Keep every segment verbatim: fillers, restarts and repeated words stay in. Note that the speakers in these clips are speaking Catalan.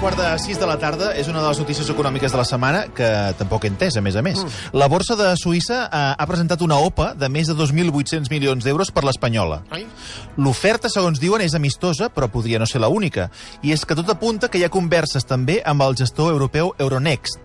quart de sis de la tarda és una de les notícies econòmiques de la setmana que tampoc he entès, a més a més. Mm. La borsa de Suïssa ha, ha presentat una O P A de més de dos mil vuit-cents milions d'euros per l'espanyola. L'oferta, segons diuen, és amistosa, però podria no ser la única. I és que tot apunta que hi ha converses també amb el gestor europeu Euronext.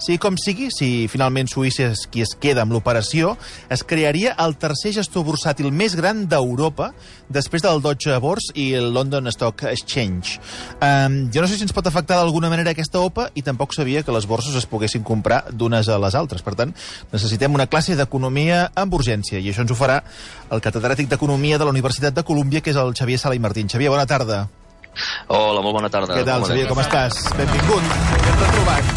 Sigui com sigui, si finalment Suïssa és qui es queda amb l'operació, es crearia el tercer gestor bursàtil més gran d'Europa, després del Deutsche Börse i el London Stock Exchange. Um, jo no sé si ens pot afectar d'alguna manera aquesta O P A i tampoc sabia que les borses es poguessin comprar d'unes a les altres. Per tant, necessitem una classe d'economia amb urgència, i això ens ho farà el catedràtic d'Economia de la Universitat de Colúmbia, que és el Xavier Sala i Martín. Xavier, bona tarda. Hola, molt bona tarda. Què tal, Xavier, com estàs? Benvingut, ben retrobat.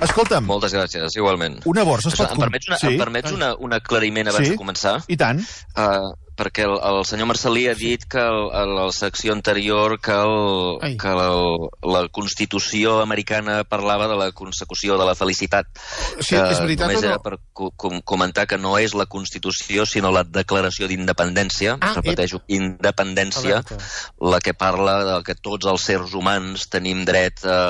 Escolta'm. Moltes gràcies, igualment. Una borsa es pot... Em permets, una, sí? em permets una, un aclariment abans sí? de començar? I tant. Uh, perquè el, el senyor Marcelí ha dit que el, a la secció anterior que, el, que el, la Constitució americana parlava de la consecució de la felicitat. Sí, és veritat només o no? era per com, comentar que no és la Constitució, sinó la Declaració d'Independència. Ah, repeteixo, independència, alerta. La que parla de que tots els sers humans tenim dret a,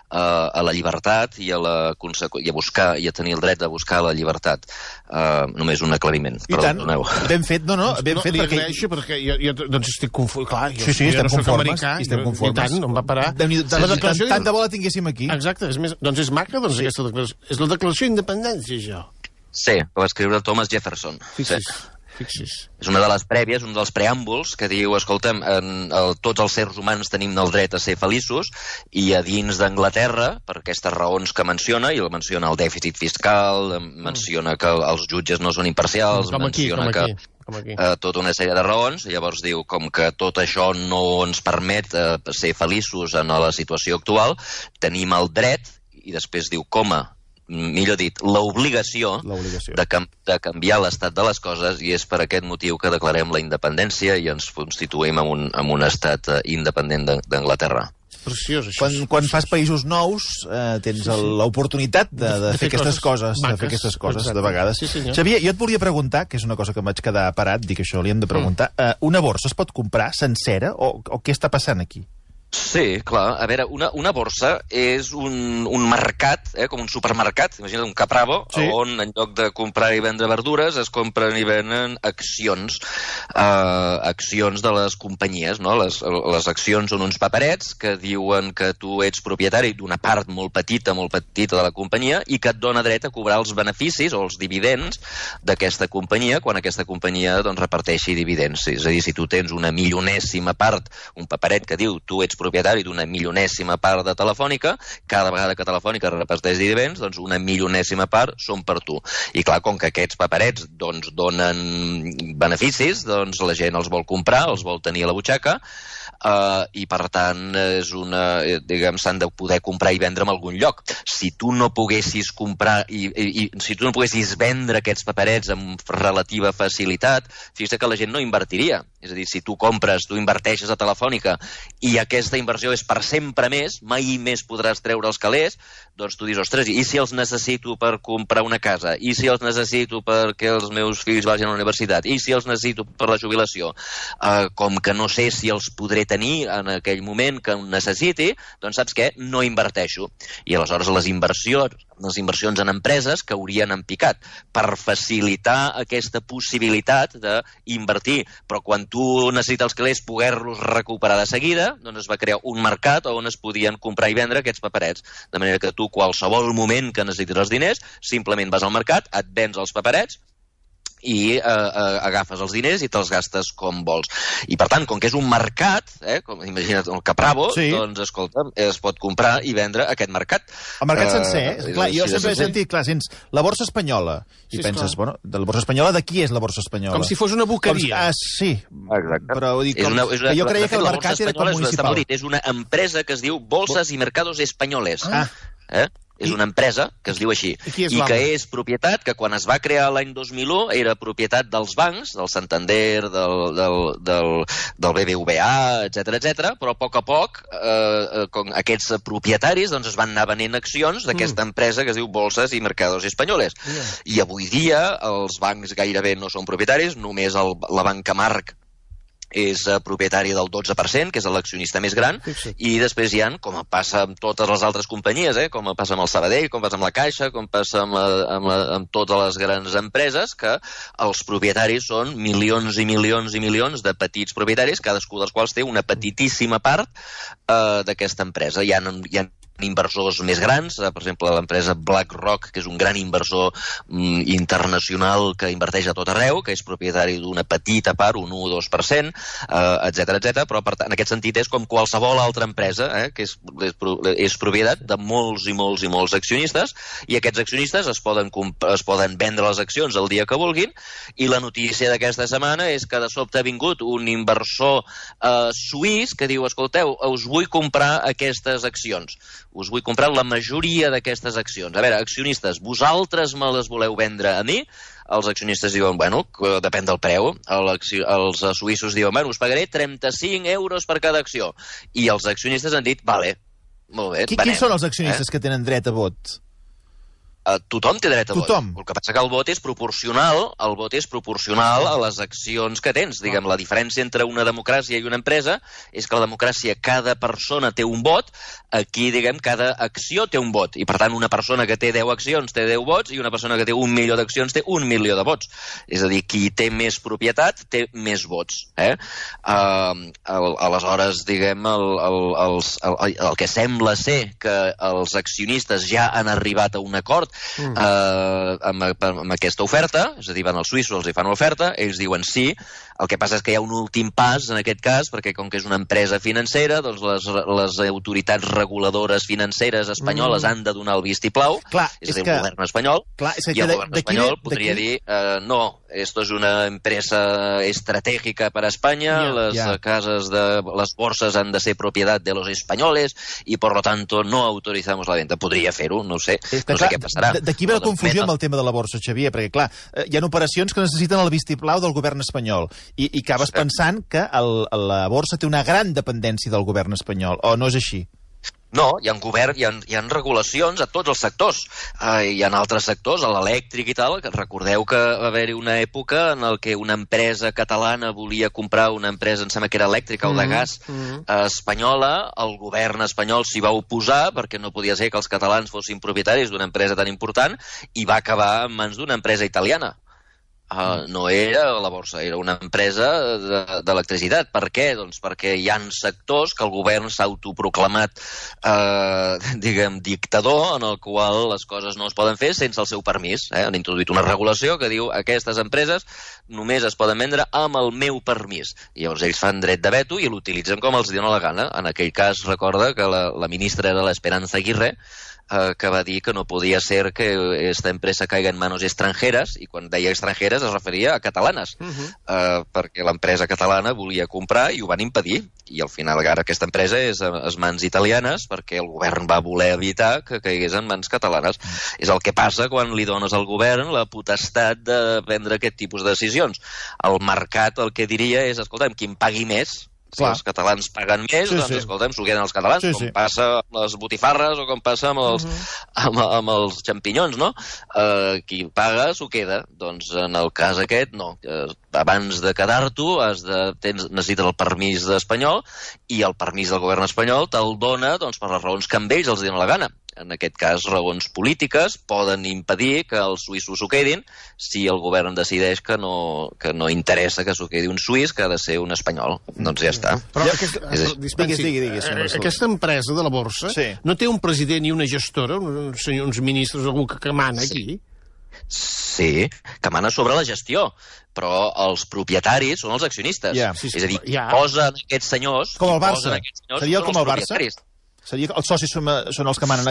a, a la llibertat i a, la consecu... i a buscar i a tenir el dret de buscar la llibertat. Uh, només un aclariment. I tant, ben fet, no, no, ben no, fet li perquè... agraeixo perquè jo, jo doncs estic confós, clar, jo, sí, sí, jo estem no soc conformes, americà, i estem conformes. I tant, no em va parar. Tant, tant, tant, tant de bo la tinguéssim aquí. Exacte, és més, doncs és maca, doncs, sí. Aquesta declaració. És la declaració d'independència, això. Sí, que va escriure Thomas Jefferson. Fixis. Sí. Fixis. És una de les prèvies, un dels preàmbuls que diu, escolta'm, en, el, tots els sers humans tenim el dret a ser feliços, i a dins d'Anglaterra, per aquestes raons que menciona, i menciona el dèficit fiscal, menciona que els jutges no són imparcials, com aquí, menciona com aquí, que com aquí. Uh, tota una sèrie de raons, i llavors diu, com que tot això no ens permet uh, ser feliços en la situació actual, tenim el dret, i després diu, coma, millor dit, l'obligació de, cam de canviar l'estat de les coses, i és per aquest motiu que declarem la independència i ens constituïm en un, en un estat uh, independent d'Anglaterra. Preciós, això. Quan, quan fas països nous, eh, tens sí, sí. l'oportunitat de, de, de, de fer aquestes coses, coses de fer aquestes coses, exacte. De vegades. Sí, Xavier, jo et volia preguntar, que és una cosa que em vaig quedar parat, dic això, li hem de preguntar, mm. eh, una borsa es pot comprar sencera o, o què està passant aquí? Sí, clar. A veure, una, una borsa és un, un mercat, eh, com un supermercat, imagina't un Capravo, sí. On en lloc de comprar i vendre verdures es compren i venen accions, uh, accions de les companyies, no? Les, les accions són uns paperets que diuen que tu ets propietari d'una part molt petita, molt petita de la companyia i que et dona dret a cobrar els beneficis o els dividends d'aquesta companyia quan aquesta companyia doncs, reparteixi dividends. És a dir, si tu tens una milionèsima part, un paperet que diu tu ets propietari d'una milionèsima part de Telefònica, cada vegada que Telefònica reparteix dividends, doncs una milionèsima part són per tu. I clar, com que aquests paperets doncs, donen beneficis, doncs la gent els vol comprar, els vol tenir a la butxaca, Uh, i per tant és una, diguem, s'han de poder comprar i vendre en algun lloc. Si tu no poguessis comprar i, i, i si tu no poguessis vendre aquests paperets amb relativa facilitat, fixa't que la gent no invertiria. És a dir, si tu compres, tu inverteixes a Telefònica i aquesta inversió és per sempre més, mai més podràs treure els calés, doncs tu dius, ostres, i si els necessito per comprar una casa? I si els necessito perquè els meus fills vagin a la universitat? I si els necessito per la jubilació? Uh, com que no sé si els podré tenir en aquell moment que ho necessiti, doncs saps què? No inverteixo. I aleshores les inversions, les inversions en empreses caurien en picat per facilitar aquesta possibilitat d'invertir. Però quan tu necessites els calés poder-los recuperar de seguida, doncs es va crear un mercat on es podien comprar i vendre aquests paperets. De manera que tu, qualsevol moment que necessitis els diners, simplement vas al mercat, et vens els paperets, i eh, eh, agafes els diners i te'ls gastes com vols. I per tant, com que és un mercat, eh, com, imagina't el Capravo, sí. Doncs escolta, es pot comprar i vendre aquest mercat. El mercat sencer, eh? Clar, jo sempre he sentit, clar, sents la borsa espanyola, i sí, penses, clar. Bueno, de la borsa espanyola, de qui és la borsa espanyola? Com si fos una boqueria. Com, ah, sí. Exacte. Però dic, com, és una, és una, jo creia que el mercat era com municipal. Dit, és una empresa que es diu Bolsas y Mercados Españoles. Ah. Eh? És una empresa que es diu així, i, i que és propietat, que quan es va crear l'any dos mil u era propietat dels bancs, del Santander, del, del, del, del B B V A, etcètera, etcètera, però a poc a poc eh, com aquests propietaris doncs, es van anar venent accions d'aquesta mm. empresa que es diu Bolsas y Mercados Españoles. Yeah. I avui dia els bancs gairebé no són propietaris, només el, la banca Marc és eh, propietari del dotze per cent, que és l'accionista més gran, i després hi ha, com passa amb totes les altres companyies, eh, com passa amb el Sabadell, com passa amb la Caixa, com passa amb, la, amb, la, amb totes les grans empreses, que els propietaris són milions i milions i milions de petits propietaris, cadascú dels quals té una petitíssima part eh, d'aquesta empresa. Hi ha, hi ha inversors més grans, per exemple l'empresa BlackRock, que és un gran inversor mm, internacional que inverteix a tot arreu, que és propietari d'una petita part, un u o dos per cent, eh, etcètera, etcètera, però per, en aquest sentit és com qualsevol altra empresa, eh, que és, és, és propietat de molts i molts i molts accionistes, i aquests accionistes es poden, es poden vendre les accions el dia que vulguin, i la notícia d'aquesta setmana és que de sobte ha vingut un inversor eh, suís que diu, escolteu, us vull comprar aquestes accions. Us vull comprar la majoria d'aquestes accions. A veure, accionistes, vosaltres me les voleu vendre a mi? Els accionistes diuen, bueno, depèn del preu. Els suïssos diuen, bueno, us pagaré trenta-cinc euros per cada acció. I els accionistes han dit, vale, molt bé, venem. Quins són els accionistes eh? que tenen dret a vot? Uh, tothom té dret a vot. Tothom. El que passa que el vot és proporcional, el vot és proporcional a les accions que tens. Diguem, la diferència entre una democràcia i una empresa és que la democràcia cada persona té un vot, aquí, diguem, cada acció té un vot. I, per tant, una persona que té deu accions té deu vots i una persona que té un milió d'accions té un milió de vots. És a dir, qui té més propietat té més vots. Eh? Uh, el, aleshores, diguem, el, el, els, el, el que sembla ser que els accionistes ja han arribat a un acord Mm. Uh, amb, amb aquesta oferta, és a dir, van els suïssos, els hi fan una oferta, ells diuen sí, el que passa és que hi ha un últim pas en aquest cas, perquè com que és una empresa financera, doncs les, les autoritats reguladores financeres espanyoles mm. han de donar el vistiplau, clar, és, és a dir, que, el govern espanyol, clar, és que i el de, govern de espanyol de, podria de dir uh, no, esto es una empresa estratégica para España, yeah, les yeah. cases de les borses han de ser propietat de los españoles i por lo tanto no autorizamos la venta. Podria fer-ho, no sé, que, no clar, sé què passarà. D'aquí ve la confusió amb el tema de la borsa, Xavier, perquè clar, hi ha operacions que necessiten el vistiplau del govern espanyol i, i acabes sí. pensant que el, la borsa té una gran dependència del govern espanyol, o no és així? No, hi ha, govern, hi, ha, hi ha regulacions a tots els sectors. Uh, hi ha altres sectors, a l'elèctric i tal, que recordeu que va haver-hi una època en el que una empresa catalana volia comprar una empresa, em sembla que era elèctrica mm, o de gas, mm. uh, espanyola, el govern espanyol s'hi va oposar perquè no podia ser que els catalans fossin propietaris d'una empresa tan important i va acabar en mans d'una empresa italiana. Uh, no era la borsa, era una empresa d'electricitat. Per què? Doncs perquè hi ha sectors que el govern s'ha autoproclamat uh, diguem, dictador, en el qual les coses no es poden fer sense el seu permís. Eh? Han introduït una regulació que diu aquestes empreses només es poden vendre amb el meu permís. I llavors ells fan dret de veto i l'utilitzen com els dona la gana. En aquell cas, recorda que la, la ministra era l'Esperanza Aguirre, Uh, que va dir que no podia ser que esta empresa caiga en manos extranjeres, i quan deia extranjeres es referia a catalanes, uh -huh. uh, perquè l'empresa catalana volia comprar i ho van impedir, i al final ara aquesta empresa és a les mans italianes perquè el govern va voler evitar que caigués en mans catalanes. Uh -huh. És el que passa quan li dones al govern la potestat de prendre aquest tipus de decisions. El mercat el que diria és, escolta'm, qui em pagui més. Si Clar. els catalans paguen més, sí, doncs, sí. escolta'm, s'ho queden els catalans, sí, com sí. passa amb les botifarres o com passa amb els, uh -huh. amb, amb els xampinyons, no? Uh, qui paga s'ho queda. Doncs en el cas aquest, no. Uh, abans de quedar-t'ho, has de, tens, necessites el permís espanyol, i el permís del govern espanyol te'l dona doncs, per les raons que amb ells els donen la gana. En aquest cas, raons polítiques poden impedir que els suïssos s'ho quedin si el govern decideix que no, que no interessa que s'ho quedi un suís, que ha de ser un espanyol. Doncs ja està. Però aquesta, dispensi, digui, digui, digui, aquesta empresa de la borsa sí. no té un president i una gestora, uns, uns ministres, algú que, que mana aquí? Sí, que mana sobre la gestió, però els propietaris són els accionistes. Yeah. Sí, sí, és a dir, yeah. posen aquests senyors... Com el Barça. Seria com el Barça? Seria, els socis són, són els que manen,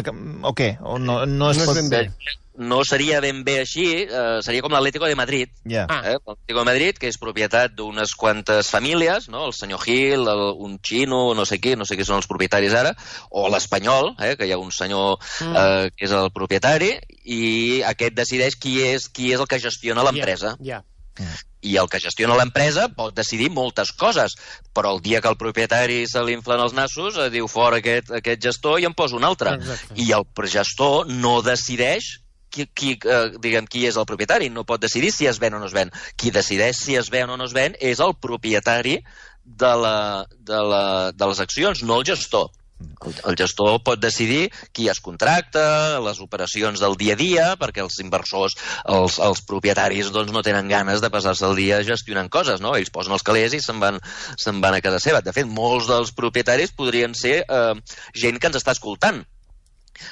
o què? O no, no, es no, pot... ben bé. No seria ben bé així, eh, seria com l'Atlético de Madrid. Yeah. Eh? L'Atlético de Madrid, que és propietat d'unes quantes famílies, no? El senyor Gil, el, un xino, no sé qui, no sé qui són els propietaris ara, o l'Espanyol, eh? que hi ha un senyor eh, que és el propietari, i aquest decideix qui és, qui és el que gestiona l'empresa. Yeah. Yeah. I el que gestiona l'empresa pot decidir moltes coses, però el dia que el propietari se li inflen els nassos, eh, diu fora aquest, aquest gestor i en posa un altre. Exacte. I el gestor no decideix qui, qui, eh, diguem, qui és el propietari, no pot decidir si es ven o no es ven. Qui decideix si es ven o no es ven és el propietari de, la, de, la, de les accions, no el gestor. El, el gestor pot decidir qui es contracta, les operacions del dia a dia, perquè els inversors, els, els propietaris, doncs, no tenen ganes de passar-se el dia gestionant coses, no? Ells posen els calés i se'n van, se'n van a casa seva. De fet, molts dels propietaris podrien ser eh, gent que ens està escoltant.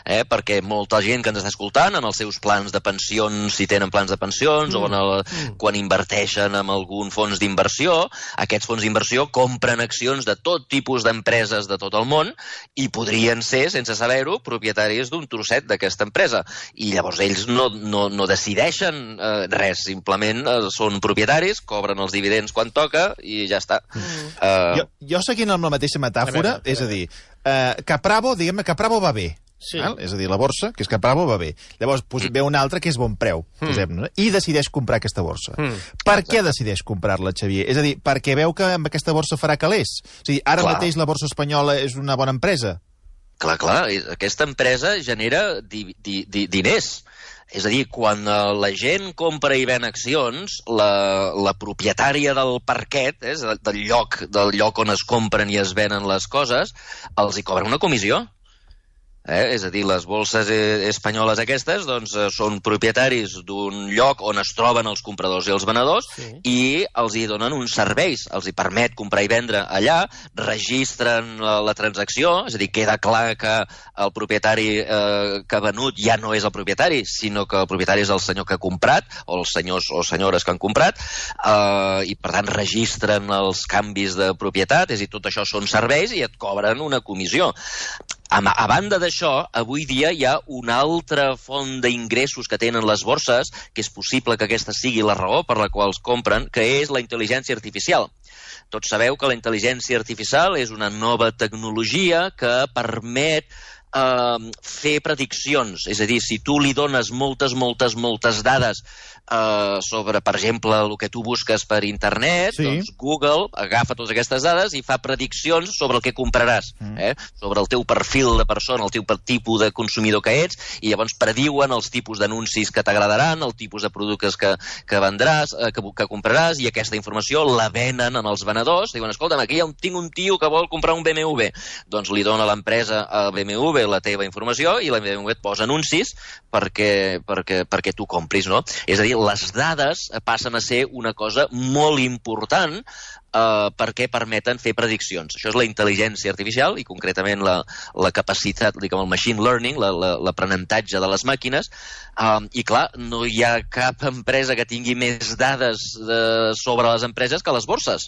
Eh, perquè molta gent que ens està escoltant en els seus plans de pensions, si tenen plans de pensions, mm. o en el, mm. quan inverteixen en algun fons d'inversió, aquests fons d'inversió compren accions de tot tipus d'empreses de tot el món i podrien ser, sense saber-ho, propietaris d'un trosset d'aquesta empresa. I llavors ells no, no, no decideixen eh, res, simplement eh, són propietaris, cobren els dividends quan toca i ja està. Mm. Uh... Jo, jo seguint amb la mateixa metàfora, a veure, a veure. és a dir, eh, Capravo, diguem-ne, Capravo va bé. Sí. Val? És a dir, la borsa, que és Capravo, va bé. Llavors pues, ve una altra que és bon preu, mm. i decideix comprar aquesta borsa. Mm. Per què decideix comprar-la, Xavier? És a dir, perquè veu que amb aquesta borsa farà calés. O sigui, ara clar. mateix la borsa espanyola és una bona empresa. Clar, clar. Aquesta empresa genera di di di diners. És a dir, quan la gent compra i ven accions, la, la propietària del parquet, eh, del, lloc, del lloc on es compren i es venen les coses, els hi cobra una comissió. Eh? És a dir, les bolses espanyoles aquestes doncs, són propietaris d'un lloc on es troben els compradors i els venedors sí. i els hi donen uns serveis, els hi permet comprar i vendre allà, registren la, la transacció, és a dir, queda clar que el propietari eh, que ha venut ja no és el propietari, sinó que el propietari és el senyor que ha comprat, o els senyors o senyores que han comprat, eh, i per tant registren els canvis de propietat, és a dir, tot això són serveis i et cobren una comissió. A, a banda d'això, avui dia hi ha una altra font d'ingressos que tenen les borses, que és possible que aquesta sigui la raó per la qual es compren, que és la intel·ligència artificial. Tots sabeu que la intel·ligència artificial és una nova tecnologia que permet eh, fer prediccions. És a dir, si tu li dones moltes, moltes, moltes dades eh, sobre, per exemple, el que tu busques per internet, sí. doncs Google agafa totes aquestes dades i fa prediccions sobre el que compraràs, mm. eh? sobre el teu perfil de persona, el teu tipus de consumidor que ets, i llavors prediuen els tipus d'anuncis que t'agradaran, el tipus de productes que, que vendràs, eh, que, que compraràs, i aquesta informació la venen en els venedors. Diuen, escolta'm, aquí ha un, tinc un tio que vol comprar un B M W. Doncs li dona l'empresa a B M W la teva informació i la B M W et posa anuncis perquè, perquè, perquè tu compris, no? És a dir, les dades passen a ser una cosa molt important Uh, perquè permeten fer prediccions. Això és la intel·ligència artificial i concretament la, la capacitat, diguem, el machine learning, l'aprenentatge de les màquines, uh, i clar, no hi ha cap empresa que tingui més dades de, sobre les empreses que les borses.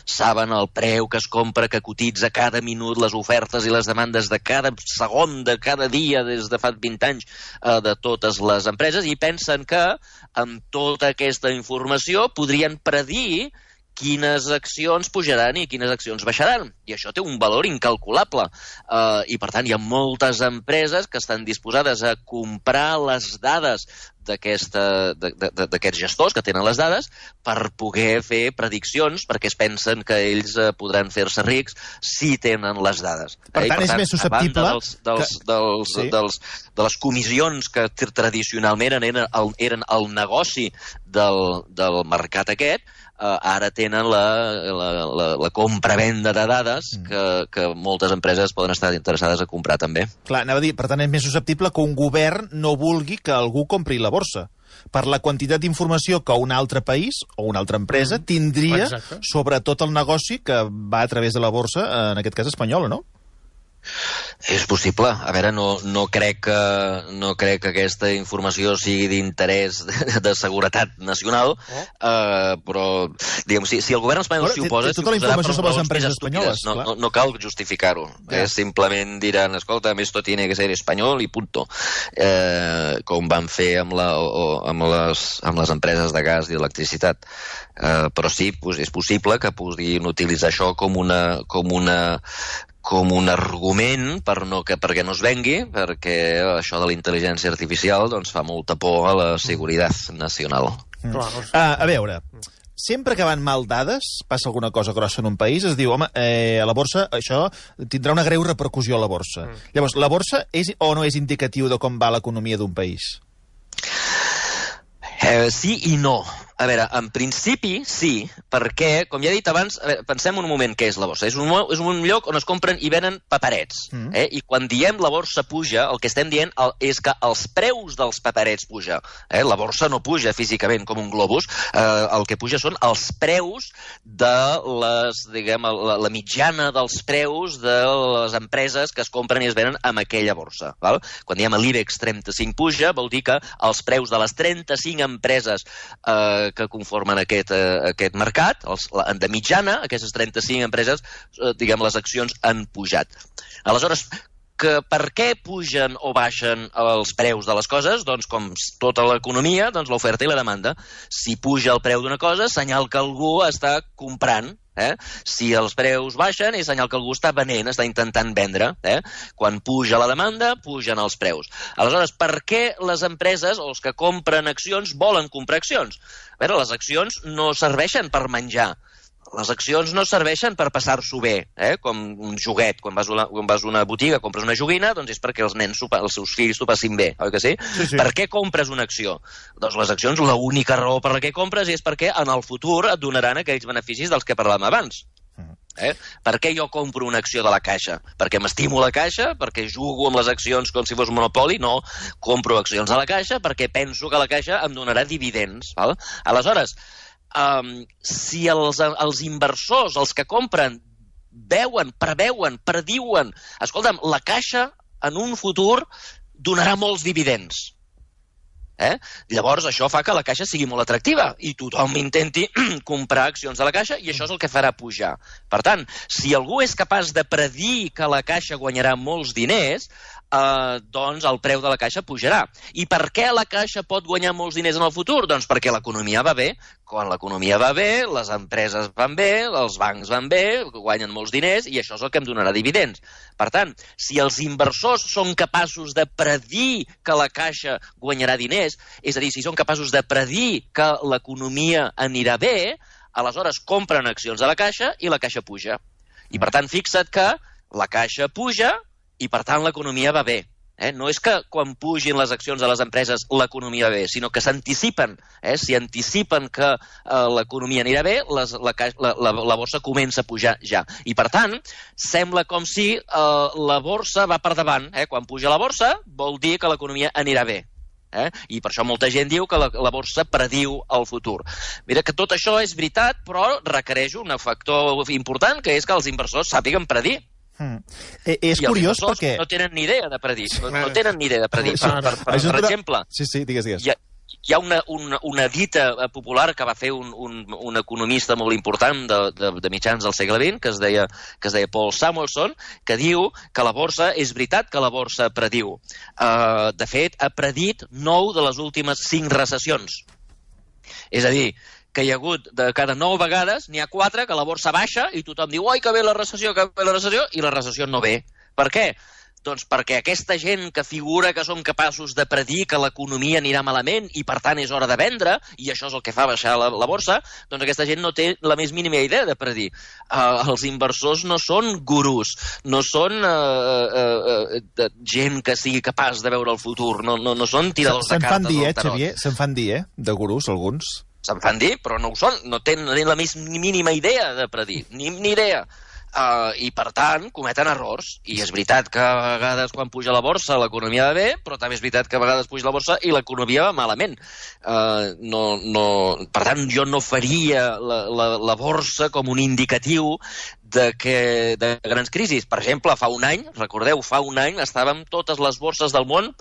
Saben el preu que es compra, que cotitza cada minut, les ofertes i les demandes de cada segon, de cada dia, des de fa vint anys, uh, de totes les empreses, i pensen que amb tota aquesta informació podrien predir quines accions pujaran i quines accions baixaran. I això té un valor incalculable. Uh, I, per tant, hi ha moltes empreses que estan disposades a comprar les dades d'aquests gestors que tenen les dades per poder fer prediccions, perquè es pensen que ells uh, podran fer-se rics si tenen les dades. Per tant, eh? per tant és més susceptible... dels, dels, que... dels, sí. dels, de les comissions que tradicionalment eren el, eren el negoci del, del mercat aquest, Uh, ara tenen la, la, la, la compra-venda de dades que, que moltes empreses poden estar interessades a comprar també. Clar, anava a dir, per tant és més susceptible que un govern no vulgui que algú compri la borsa, per la quantitat d'informació que un altre país o una altra empresa tindria Exacte. sobre tot el negoci que va a través de la borsa, en aquest cas espanyola, no? És possible. A veure, no, no, crec que, no crec que aquesta informació sigui d'interès de, de seguretat nacional, oh. uh, però diguem, si, si el govern espanyol s'hi oposa... Té tota la informació sobre les empreses espanyoles. No, no, no cal justificar-ho. Ja. Eh, simplement diran, escolta, esto tiene que ser espanyol i punto. Eh, com van fer amb, la, o, amb, les, amb les empreses de gas i electricitat. Eh, però sí, pues, és possible que puguin utilitzar això com una... Com una com un argument per no, que, perquè no es vengui, perquè això de la intel·ligència artificial doncs, fa molta por a la seguretat nacional. Mm. Uh, a veure, sempre que van mal dades, passa alguna cosa grossa en un país, es diu, home, eh, a la borsa això tindrà una greu repercussió a la borsa. Mm. Llavors, la borsa és o no és indicatiu de com va l'economia d'un país? Eh, sí i no. A veure, en principi sí, perquè, com ja he dit abans, veure, pensem un moment què és la borsa. És un, és un lloc on es compren i venen paperets. Mm. Eh? I quan diem la borsa puja, el que estem dient és que els preus dels paperets puja. Eh? La borsa no puja físicament com un globus, eh, el que puja són els preus de les, diguem, la, la mitjana dels preus de les empreses que es compren i es venen amb aquella borsa. Val? Quan diem l'IBEX trenta-cinc puja, vol dir que els preus de les trenta-cinc empreses eh, que conformen aquest, eh, aquest mercat, els, la, de mitjana, aquestes trenta-cinc empreses, eh, diguem, les accions han pujat. Aleshores, que per què pugen o baixen els preus de les coses? Doncs com tota l'economia, doncs l'oferta i la demanda. Si puja el preu d'una cosa, senyal que algú està comprant. Eh? Si els preus baixen, és senyal que algú està venent, està intentant vendre. Eh? Quan puja la demanda, pugen els preus. Aleshores, per què les empreses o els que compren accions volen comprar accions? A veure, les accions no serveixen per menjar. Les accions no serveixen per passar-s'ho bé, eh? Com un joguet. Quan vas, una, quan vas a una botiga, compres una joguina, doncs és perquè els nens, els seus fills t'ho passin bé, oi que sí? Sí, sí. Per què compres una acció? Doncs les accions, l'única raó per la que compres és perquè en el futur et donaran aquells beneficis dels que parlàvem abans. Eh? Per què jo compro una acció de la Caixa? Perquè m'estimo la Caixa? Perquè jugo amb les accions com si fos un monopoli? No, compro accions a la Caixa perquè penso que la Caixa em donarà dividends. Val? Aleshores, Um, si els, els inversors, els que compren, veuen, preveuen, prediuen, escolta'm, la Caixa en un futur donarà molts dividends. Eh? Llavors això fa que la Caixa sigui molt atractiva i tothom intenti comprar accions de la Caixa i això és el que farà pujar. Per tant, si algú és capaç de predir que la Caixa guanyarà molts diners, eh, doncs el preu de la Caixa pujarà. I per què la Caixa pot guanyar molts diners en el futur? Doncs perquè l'economia va bé. Quan l'economia va bé, les empreses van bé, els bancs van bé, guanyen molts diners i això és el que em donarà dividends. Per tant, si els inversors són capaços de predir que la Caixa guanyarà diners, és a dir, si són capaços de predir que l'economia anirà bé, aleshores compren accions de la Caixa i la Caixa puja. I per tant, fixa't que la Caixa puja i per tant l'economia va bé. Eh? No és que quan pugin les accions de les empreses l'economia va bé, sinó que s'anticipen. Eh? Si anticipen que eh, l'economia anirà bé, les, la, la, la, la borsa comença a pujar ja. I per tant, sembla com si eh, la borsa va per davant. Eh? Quan puja la borsa, vol dir que l'economia anirà bé. Eh? I per això molta gent diu que la, la borsa prediu el futur. Mira que tot això és veritat, però requereix un factor important, que és que els inversors sàpiguen predir. Hmm. Eh, és I curiós perquè... no tenen ni idea de predir. No, no tenen ni idea de predir. Per, per, per, per exemple, sí, sí, digues, digues. Hi ha, hi ha una, una, una dita popular que va fer un, un, un economista molt important de, de, de mitjans del segle vint, que es, deia, que es deia Paul Samuelson, que diu que la borsa, és veritat que la borsa prediu. Uh, de fet, ha predit nou de les últimes cinc recessions. És a dir, que hi ha hagut de cada nou vegades, n'hi ha quatre que la borsa baixa i tothom diu oi, que ve la recessió, que ve la recessió, i la recessió no ve. Per què? Doncs perquè aquesta gent que figura que són capaços de predir que l'economia anirà malament i per tant és hora de vendre, i això és el que fa baixar la, la borsa, doncs aquesta gent no té la més mínima idea de predir. Uh, els inversors no són gurús, no són uh, uh, uh, gent que sigui capaç de veure el futur, no, no, no són tiradors de cartes dir, del tarot. Xavier, se'n fan dir, eh, de gurús, alguns. Se'n fan dir, però no ho són, no tenen la més mínima idea de predir, ni, ni idea. Uh, I per tant cometen errors, i és veritat que a vegades quan puja la borsa l'economia va bé, però també és veritat que a vegades puja la borsa i l'economia va malament. Uh, no, no... Per tant, jo no faria la, la, la borsa com un indicatiu de, que, de grans crisis. Per exemple, fa un any, recordeu, fa un any estàvem totes les borses del món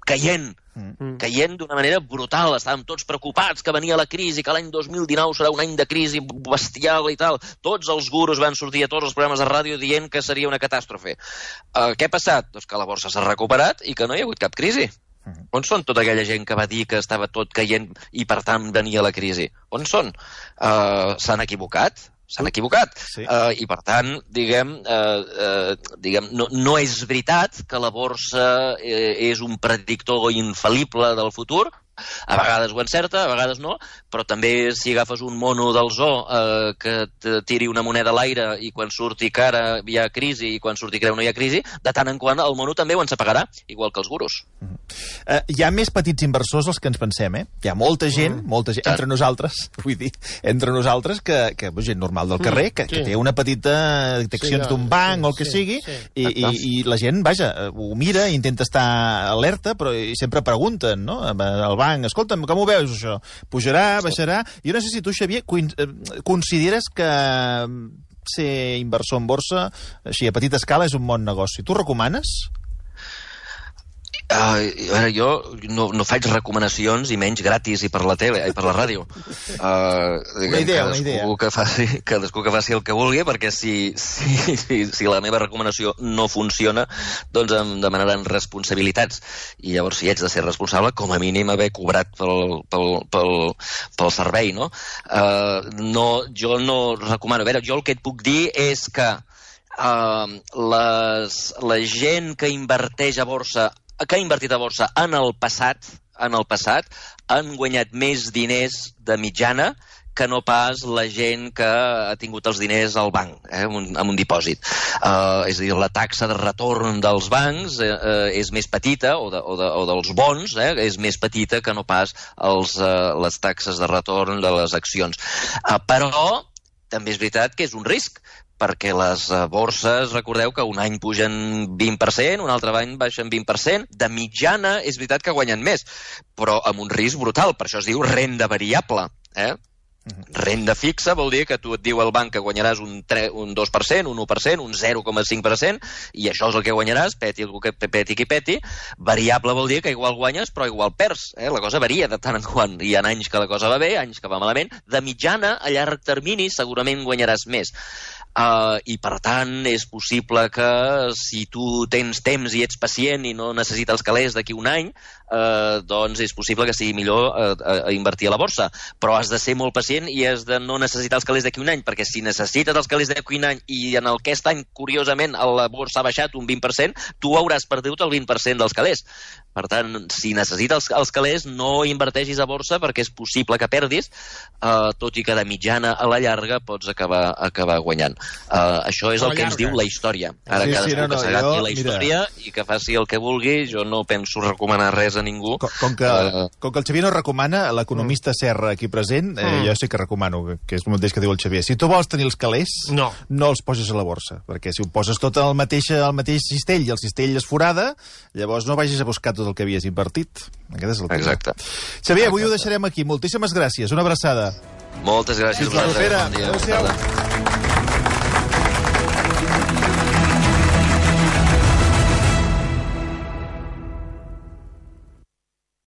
caient, mm. caient d'una manera brutal. Estàvem tots preocupats que venia la crisi, que l'any dos mil dinou serà un any de crisi bestial i tal. Tots els gurus van sortir a tots els programes de ràdio dient que seria una catàstrofe. Uh, què ha passat? Doncs que la borsa s'ha recuperat i que no hi ha hagut cap crisi. Mm. On són tota aquella gent que va dir que estava tot caient i per tant venia la crisi? On són? Uh, s'han equivocat? S'han equivocat. Sí. Uh, I, per tant, diguem, uh, uh, diguem no, no és veritat que la borsa eh, és un predictor infal·lible del futur, A vegades ho encerta, a vegades no, però també si agafes un mono del zoo eh, que et tiri una moneda a l'aire i quan surti cara hi ha crisi i quan surti creu no hi ha crisi, de tant en quant el mono també ho ensapagarà, igual que els gurus. Uh -huh. uh, hi ha més petits inversors dels que ens pensem, eh? Hi ha molta gent, mm. molta gent, entre nosaltres, vull dir, entre nosaltres, que, que gent normal del carrer, que, mm, sí. que té una petita accions sí, d'un banc sí, o el que sí, sigui, sí. I, i, i la gent, vaja, ho mira, intenta estar alerta, però sempre pregunten, no?, al banc, escolta'm, com ho veus, això? Pujarà, baixarà? Jo no sé si tu, Xavier, consideres que ser inversor en borsa, així, a petita escala, és un bon negoci. Tu recomanes? Uh, a veure, jo no, no faig recomanacions i menys gratis i per la tele i per la ràdio. Uh, una idea, una idea. Que faci, cadascú que faci el que vulgui, perquè si, si, si, si la meva recomanació no funciona, doncs em demanaran responsabilitats. I llavors, si haig de ser responsable, com a mínim haver cobrat pel, pel, pel, pel servei, no? Uh, no? Jo no recomano. A veure, jo el que et puc dir és que uh, les, la gent que inverteix a borsa que ha invertit a borsa en el passat, en el passat, han guanyat més diners de mitjana que no pas la gent que ha tingut els diners al banc, eh, amb, un, amb un dipòsit. Uh, és a dir, la taxa de retorn dels bancs eh, eh, és més petita, o, de, o, de, o dels bons, eh, és més petita que no pas els, eh, les taxes de retorn de les accions. Uh, però també és veritat que és un risc, perquè les borses, recordeu que un any pugen vint per cent, un altre any baixen vint per cent. De mitjana és veritat que guanyen més, però amb un risc brutal. Per això es diu renda variable. Eh? Renda fixa vol dir que tu et diu el banc que guanyaràs un, tre, un dos per cent, un u per cent, un zero coma cinc per cent, i això és el que guanyaràs, peti, peti qui peti. Variable vol dir que igual guanyes, però igual perds. Eh? La cosa varia de tant en quant. Hi ha anys que la cosa va bé, anys que va malament. De mitjana, a llarg termini, segurament guanyaràs més. Uh, I, per tant, és possible que si tu tens temps i ets pacient i no necessites els calés d'aquí un any, uh, doncs és possible que sigui millor uh, uh, invertir a la borsa. Però has de ser molt pacient i has de no necessitar els calés d'aquí un any, perquè si necessites els calés d'aquí un any i en aquest any, curiosament, la borsa ha baixat un vint per cent, tu hauràs perdut el vint per cent dels calés. Per tant, si necessites els, els calés, no inverteixis a borsa perquè és possible que perdis, uh, tot i que de mitjana a la llarga pots acabar, acabar guanyant. Uh, això és el que ens diu la història. Ara sí, cadascú sí, no, no, que s'agati jo, la història mira, i que faci el que vulgui. Jo no penso recomanar res a ningú. Com, com, que, uh, com que el Xavier no recomana, l'economista mm. Serra aquí present, eh, mm. jo sí que recomano, que és el mateix que diu el Xavier. Si tu vols tenir els calés, no, no els poses a la borsa, perquè si ho poses tot al mateix, al mateix cistell i el cistell es forada, llavors no vagis a buscar tot el que havies invertit. Aquest és el tema. Exacte. Xavier, avui ho deixarem aquí. Moltíssimes gràcies. Una abraçada. Moltes gràcies. Fins la propera. Adéu-siau.